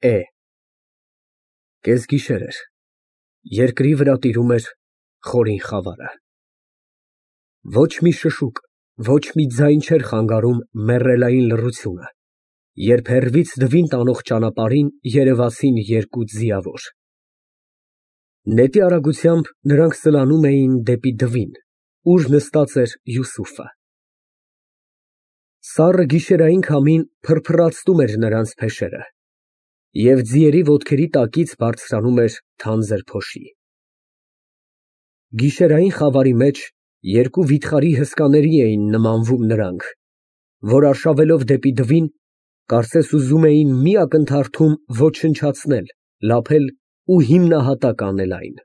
Է Կեսգիշեր էր, երկրի վրա տիրում էր խորին խավարը։ Ոչ մի շշուկ, ոչ մի ձայն չէր խանգարում մեռելային լռությունը, երբ հեռվից դվին տանող ճանապարհին երևացին երկու ձիավոր։ Նետի արագությամբ նրանք սլանում էին դեպի դվին, ուր նստած էր Յուսուֆը։ Սառը գիշերային քամին փրփռացնում էր նրանց փեշերը, և ձիերի ոտքերի տակից բարձրանում էր թանձր փոշի։ Գիշերային խավարի մեջ երկու վիթխարի հսկաների էին նմանվում նրանք, որ արշավելով դեպի դվին, կարծես ուզում էին մի ակնթարթում ոչնչացնել, լափել ու հիմնահատակ անել այն։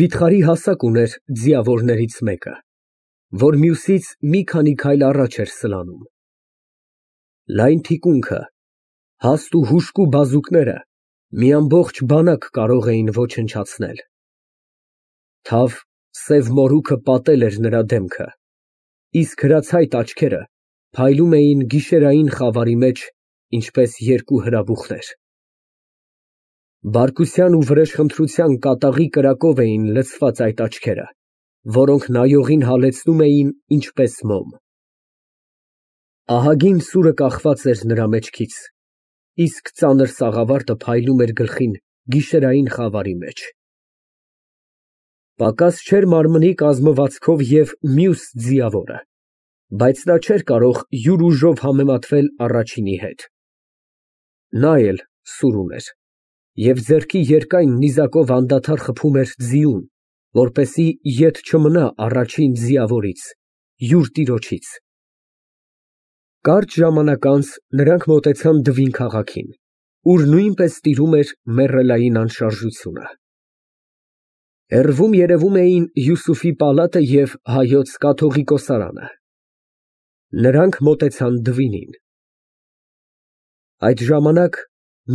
Վիթխարի հասակ ուներ ձիավորներից մեկը, որ մյուսից մի քանի քայլ առաջ էր սլանում։ Լայն թիկունքը, հաստ ու հուժկու բազուկները մի ամբողջ բանակ կարող էին ոչնչացնել։ Թավ սև մորուքը պատել էր նրա դեմքը, իսկ հրացայտ աչքերը փայլում էին գիշերային խավարի մեջ, ինչպես երկու հրաբուխներ։ Բարկության ու վրեժխնդրության կատաղի կրակով էին լցված այդ աչքերը, որոնք նայողին հալեցնում էին ինչպես մոմ։ Ահագին սուրը կախված էր նրա մեջքից, իսկ ծանր սաղավարտը փայլում էր գլխին գիշերային խավարի մեջ։ Պակաս չէր մարմնի կազմվածքով և մյուս ձիավորը, բայց նա չէր կարող յուր ուժով համեմատվել առաջինի հետ։ Նա էլ սուր ուներ, և ձեռքի երկայն նիզակով անդադար խփում էր ձիուն, որպեսզի ետ չմնա առաջին ձիավորից, յուր տիրոջից։ Կարճ ժամանակ անց նրանք մոտեցան Դվին քաղաքին, ուր նույնպես տիրում էր մեռելային անշարժությունը։ Հեռվում երևում էին Յուսուֆի պալատը և հայոց կաթողիկոսարանը։ Նրանք մոտեցան Դվինին։ Այդ ժամանակ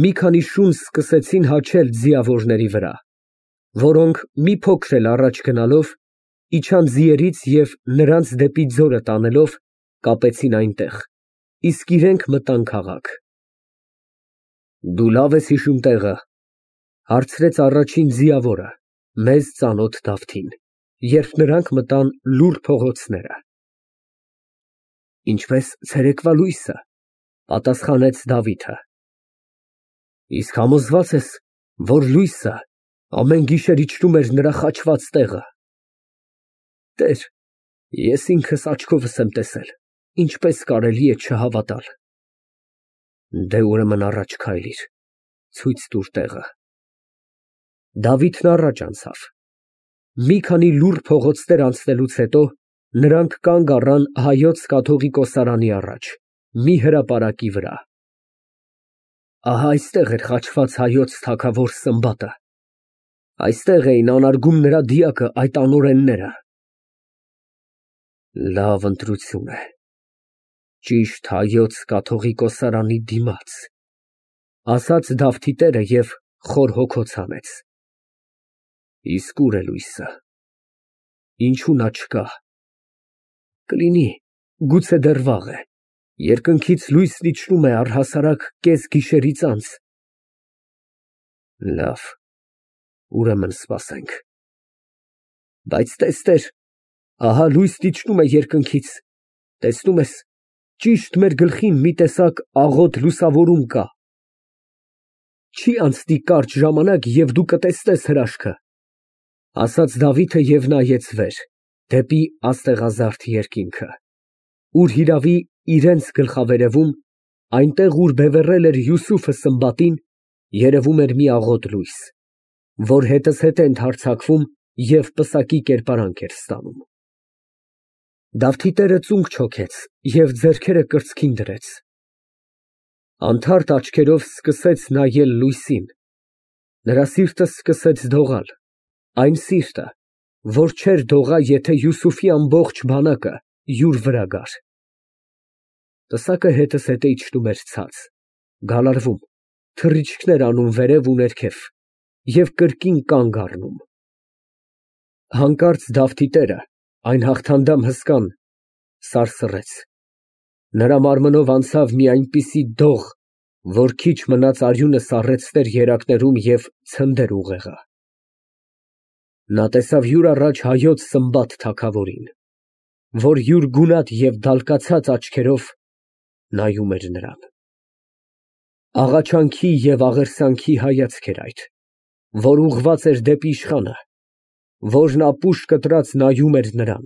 մի քանի շուն սկսեցին հաչել ձիավորների վրա, որոնք մի փոքր էլ առաջ գնալով, իջան ձիերից և նրանց դեպի ձորը տանելով, կապեցին այնտեղ, իսկ իրենք մտան քաղաք։ Դու լավ ես հիշում տեղը, ֊ հարցրեց առաջին ձիավորը, մեզ ծանոթ Դավթին, երբ նրանք մտան լուռ փողոցները։ Ինչպես ցերեկվա լույսը, ֊ պատասխանեց Դավիթը։ Իսկ համոզվա՞ծ ես, որ լույսը ամեն գիշեր իջնում էր նրա խաչված տեղը։ Տեր, ես ինքս աչքովս եմ տեսել, ինչպես կարելի է չհավատալ։ Դե ուրեմն առաջ քայլիր, ցույց տուր տեղը։ Դավիթն առաջ անցավ։ Մի քանի լուռ փողոցներ անցնելուց հետո նրանք կանգ առան հայոց կաթողիկոսարանի առաջ, մի հրապարակի վրա։ Ահա այստեղ էր խաչված հայոց թագավոր Սմբատը, այստեղ էին անարգում նրա դիակը այդ անօրենները։ Լավ ընտրություն է, ճիշտ հայոց կաթողիկոսարանի դիմաց, ֊ ասաց Դավթի տերը և խոր հոգոց հանեց։ Իսկ ուր է լույսը, ինչու նա չկա։ Կլինի, գուցե դեռ վաղ է, երկնքից լույսն իջնում է առհասարակ կես գիշերից անց։ Լավ, ուրեմն սպասենք։ Բայց տես, տեր, ահա լույսն իջնում է երկնքից, տեսնում ես, ճիշտ մեր գլխին մի տեսակ աղոտ լուսավորում կա։ Չի անցնի կարճ ժամանակ, և դու կտեսնես հրաշքը, ֊ ասաց Դավիթը և նայեց վեր, դեպի աստեղազարդ երկինքը, ուր հիրավի, իրենց գլխավերևում, այնտեղ, ուր բևեռել էր Յուսուֆը Սմբատին, երևում էր մի աղոտ լույս, որ հետզհետե ընդհարձակվում և պսակի կերպարանք էր ստանում։ Դավթի տերը ծունկ չոքեց և ձեռքերը կրծքին դրեց։ Անթարթ աչքերով սկսեց նայել լույսին, նրա սիրտը սկսեց դողալ, այն սիրտը, որ չէր դողա, եթե Յուսուֆի ամբողջ բանակը յուր վրա գար։ Պսակը հետզհետե իջնում էր ցած, գալարվում, թռիչքներ անում վերև ու ներքև և կրկին կանգ առնում։ Հանկարծ Դավթի տերը, այն հաղթանդամ հսկան, սարսռեց, նրա մարմնով անցավ մի այնպիսի դող, որ քիչ մնաց արյունը սառեցներ երակներում և ցնդեր ուղեղը։ Նա տեսավ յուր առաջ հայոց Սմբատ թագավորին, որ յուր գունատ և դալկացած աչքերով նայում էր նրան։ Աղաչանքի և աղերսանքի հայացք էր այդ, որ ուղղված էր դեպի իշխանը, որն ապուշ կտրած նայում էր նրան։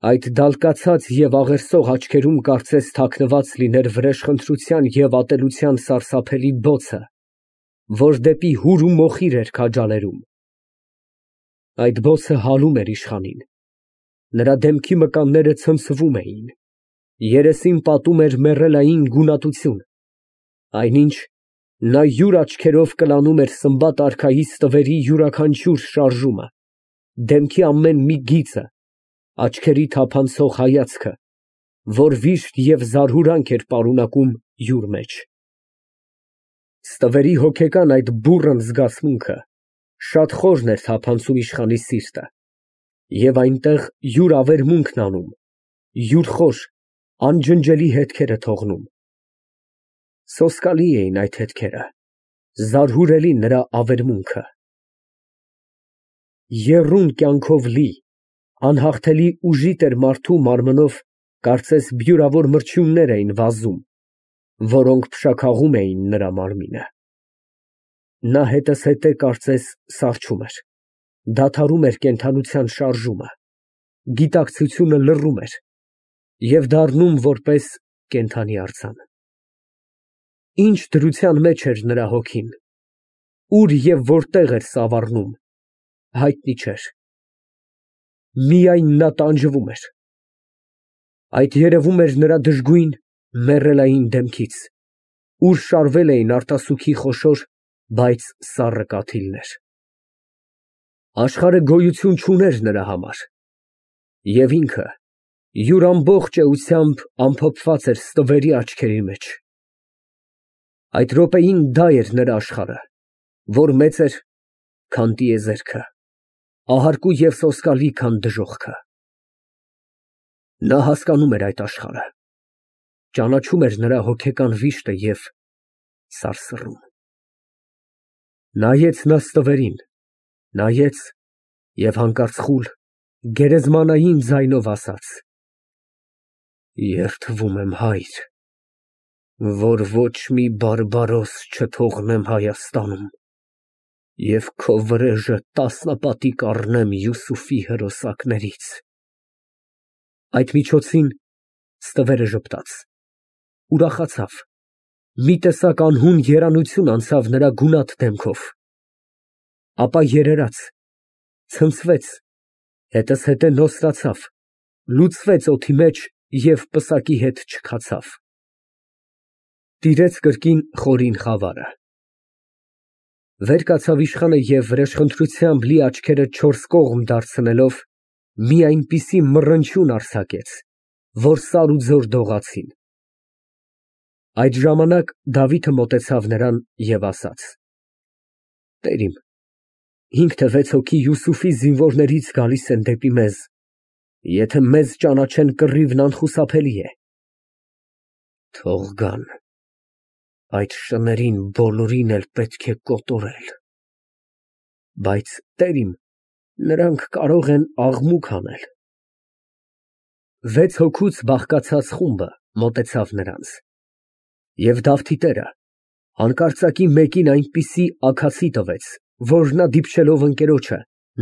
Այդ դալկացած և աղերսող աչքերում կարծես թաքնված լիներ վրեժխնդրության և ատելության սարսափելի բոցը, որ դեպի հուր ու մոխիր էր քաջալերում։ Այդ բոցը հալում էր իշխանին, նրա դեմքի մկանները ցնցվում էին, երեսին պատում էր մեռելային գունատություն, այնինչ նա յուր աչքերով կլանում էր Սմբատ արքայի ստվերի յուրաքանչյուր շարժումը, դեմքի ամեն մի գիծը, աչքերի թափանցող հայացքը, որ վիշտ և զարհուրանք էր պարունակում յուր մեջ։ Ստվերի հոգեկան այդ բուռն զգացմունքը շատ խորն էր թափանցում իշխանի սիրտը և այնտեղ յուր ավերմունքն անում, յուր խոր, անջնջելի հետքերը թողնում։ Սոսկալի էին այդ հետքերը, զարհուրելի նրա ավերմունքը։ Եռուն կյանքով լի, անհաղթելի ուժի տեր մարդու մարմնով կարծես բյուրավոր մրջյուններ էին վազում, որոնք փշաքաղում էին նրա մարմինը։ Նա հետզհետե կարծես սառչում էր, դադարում էր կենդանության շարժումը, գիտակցությունը լռում էր և դառնում որպես կենդանի արձան։ Ինչ դրության մեջ էր նրա հոգին, ուր և որտեղ էր սավառնում, հայտնի չէր։ Միայն նա տանջվում էր։ Այդ երևում էր նրա դժգույն, մեռելային դեմքից, ուր շարվել էին արտասուքի խոշոր, բայց սառը կաթիլներ։ Աշխարհը գոյություն չուներ նրա համար, և ինքը յուր ամբողջ էությամբ ամփոփված էր ստվերի աչքերի մեջ։ Այդ րոպեին դա էր նրա աշխարհը, որ մեծ էր, քան տիեզերքը, ահարկու և սոսկալի, քան դժոխքը։ Նա հասկանում էր այդ աշխարհը, ճանաչում էր նրա հոգեկան վիշտը և սարսռում։ Նայեց նա ստվերին, նայեց և հանկարծ խուլ, գերեզմանային ձայնով ասաց. «Երդվում եմ, Հայր, որ ոչ մի բարբարոս չթողնեմ Հայաստանում և քո վրեժը տասնապատիկ առնեմ Յուսուֆի հրոսակներից»։ Այդ միջոցին ստվերը ժպտաց, ուրախացավ, մի տեսակ անհուն երանություն անցավ նրա գունատ դեմքով, ապա երերաց, ցնցվեց, հետզհետե նոսրացավ, լուծվեց օդի մեջ և պսակի հետ չքացավ։ Տիրեց կրկին խորին խավարը։ Վեր կացավ իշխանը և վրեժխնդրությամբ լի աչքերը չորս կողմ դարձնելով, մի այնպիսի մռնչյուն արձակեց, որ սար ու ձոր դողացին։ Այդ ժամանակ Դավիթը մոտեցավ նրան և ասաց. «Տեր իմ, 5 թե 6 հոգի Յուսուֆի զինվորներից գալիս են դեպի մեզ, եթե մեզ ճանաչեն, կռիվն անխուսափելի է»։ Թող գան, այդ շներին բոլորին էլ պետք է կոտորել, բայց, Տեր իմ, նրանք կարող են աղմուկ անել։ 6 հոգուց բաղկացած խումբը մոտեցավ նրանց, և Դավթի տերը հանկարծակի մեկին այնպիսի աքացի տվեց, որ նա դիպչելով ընկերոջը,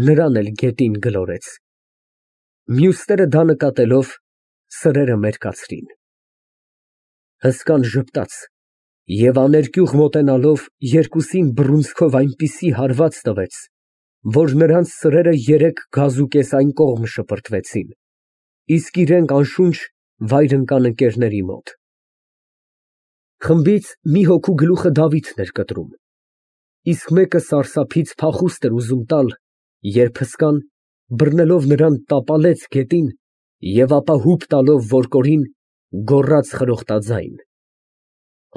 նրան էլ գետին գլորեց։ Մյուսները դա նկատելով, սրերը մերկացրին։ Հսկան ժպտաց և աներկյուղ մոտենալով երկուսին բռունցքով այնպիսի հարված տվեց, որ նրանց սրերը 3 գազուկես այն կողմ շպրտվեցին, իսկ իրենք անշունչ վայր ընկան ընկերների մոտ։ Խմբից մի հոգու գլուխը Դավիթն էր կտրում, իսկ մեկը սարսափից փախուստ էր ուզում տալ, երբ հսկան, բռնելով նրան, տապալեց գետին և ապա հուպ տալով որկորին, գոռաց խրոխտաձայն.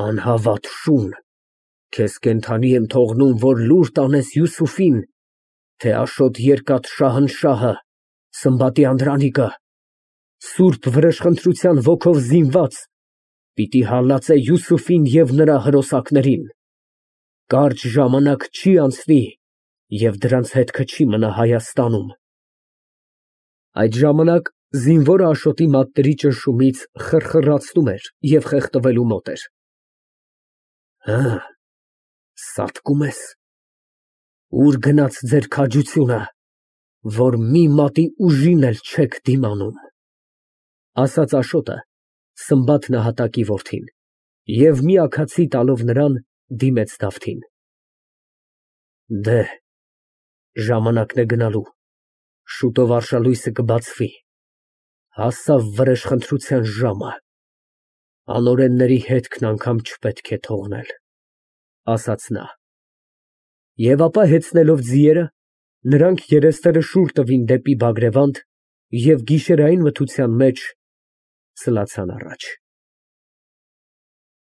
«Անհավատ շուն, քեզ կենդանի եմ թողնում, որ լուր տանես Յուսուֆին, թե Աշոտ երկաթ Շահնշահը, Սմբատի անդրանիկը, սուրբ վրեժխնդրության ոգով զինված, Պիտի հալածե Յուսուֆին և նրա հրոսակներին։ Կարճ ժամանակ չի անցնի, և դրանց հետքը չի մնա Հայաստանում։ Այդ ժամանակ զինվորը Աշոտի մատների ճնշումից խռխռացնում էր և խեղդվելու մոտ էր։ Սատկում ես, ուր գնաց ձեր քաջությունը, որ մի մատի ուժին էլ չեք դիմանում, ասաց Աշոտը Սմբաթ նահատակի որդին և մի աքացի տալով նրան, դիմեց Դավթին։ Ժամանակն է գնալու, շուտով արշալույսը կբացվի, հասավ վրեժխնդրության ժամը, անօրենների հետքն անգամ չպետք է թողնել, ասաց նա։ Եվ ապա հեծնելով ձիերը, նրանք երեսները շուռ տվին դեպի Բագրևանդ և գիշերային մթության մեջ սլացան առաջ։